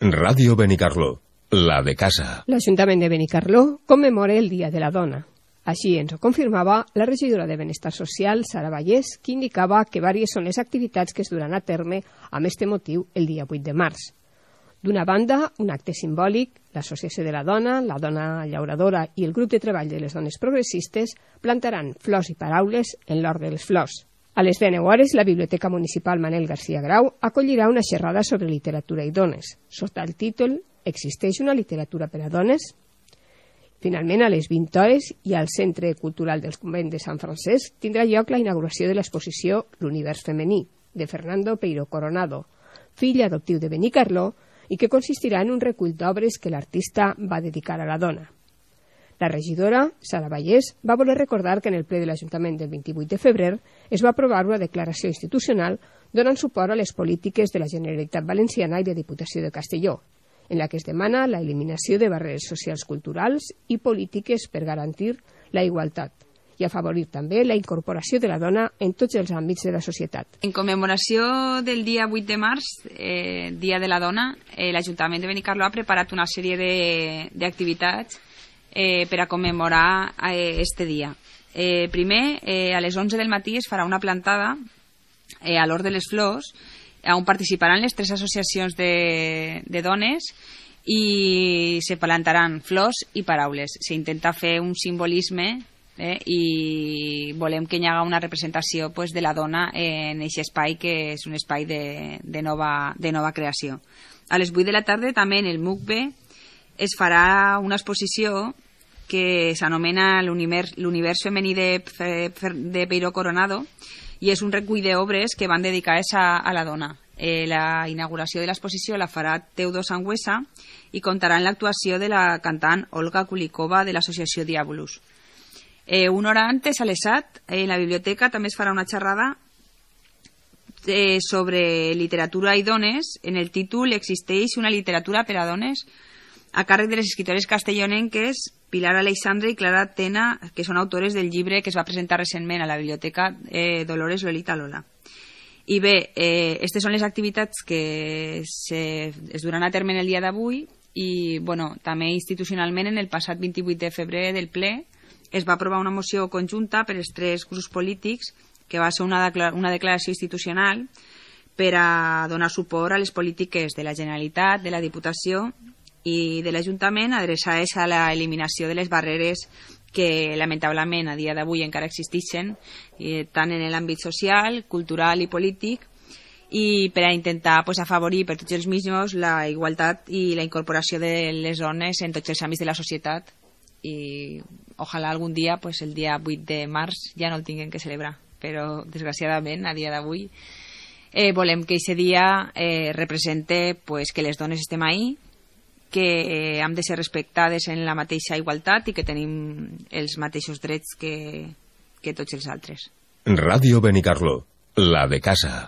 Ràdio Benicarló, la de casa. L'Ajuntament de Benicarló commemora el Dia de la Dona. Així ens ho confirmava la regidora de Benestar Social, Sara Vallès, que indicava que diverses són les activitats que es duran a terme amb este motiu el dia 8 de març. D'una banda, un acte simbòlic, l'Associació de la Dona Llauradora i el Grup de Treball de les Dones Progressistes plantaran flors i paraules en l'Hort de les Flors. A les 19 hores, la Biblioteca Municipal Manel García Grau acollirà una xerrada sobre literatura i dones, sota el títol «Existeix una literatura per a dones?». Finalment, a les 20 hores i al Centre Cultural del Convent de Sant Francesc tindrà lloc la inauguració de l'exposició L'univers femení, de Fernando Peiro Coronado, fill adoptiu de Benicarló, i que consistirà en un recull d'obres que l'artista va dedicar a la dona. La regidora, Sara Vallès, va voler recordar que en el ple de l'Ajuntament del 28 de febrer es va aprovar una declaració institucional donant suport a les polítiques de la Generalitat Valenciana i de Diputació de Castelló, en la que es demana la eliminació de barreres socials culturals i polítiques per garantir la igualtat i afavorir també la incorporació de la dona en tots els àmbits de la societat. En commemoració del dia 8 de març, Dia de la Dona, l'Ajuntament de Benicarló ha preparat una sèrie d'activitats per a commemorar este dia. Primer, a les 11 del matí es farà una plantada a l'Hort de les Flors, on participaran les 3 associacions de dones i se plantaran flors i paraules. S'intenta fer un simbolisme i volem que hi hagi una representació de la dona en aquest espai, que és un espai de nova creació. A les 8 de la tarda també en el MUCBE es farà una exposició que s'anomena l'univers femení de Peiro Coronado i és un recull d'obres que van dedicades a la dona. La inauguració de l'exposició la farà Teudo Sangüesa i comptarà amb l'actuació de la cantant Olga Kulikova de l'associació Diabolus. Una hora antes, a les 7, en la biblioteca també es farà una xerrada sobre literatura i dones. En el títol «Existeix una literatura per a dones?», a càrrec de les escritores castellonenques Pilar Aleixandre i Clara Tena, que són autores del llibre que es va presentar recentment a la biblioteca Dolores Lolita Lola. I bé, aquestes són les activitats que es duran a terme en el dia d'avui i també institucionalment en el passat 28 de febrer del ple es va aprovar una moció conjunta per als 3 grups polítics que va ser una declaració institucional per a donar suport a les polítiques de la Generalitat, de la Diputació i de l'Ajuntament adreçades a l'eliminació de les barreres que lamentablement a dia d'avui encara existeixen tant en l'àmbit social, cultural i polític i per a intentar afavorir per tots els mitjans la igualtat i la incorporació de les dones en tots els àmbits de la societat i ojalà algun dia, el dia 8 de març ja no el tinguem que celebrar, però desgraciadament a dia d'avui volem que aquest dia represente que les dones estem ahí, que hem de ser respectades en la mateixa igualtat i que tenim els mateixos drets que tots els altres. Ràdio Benicarló, la de casa.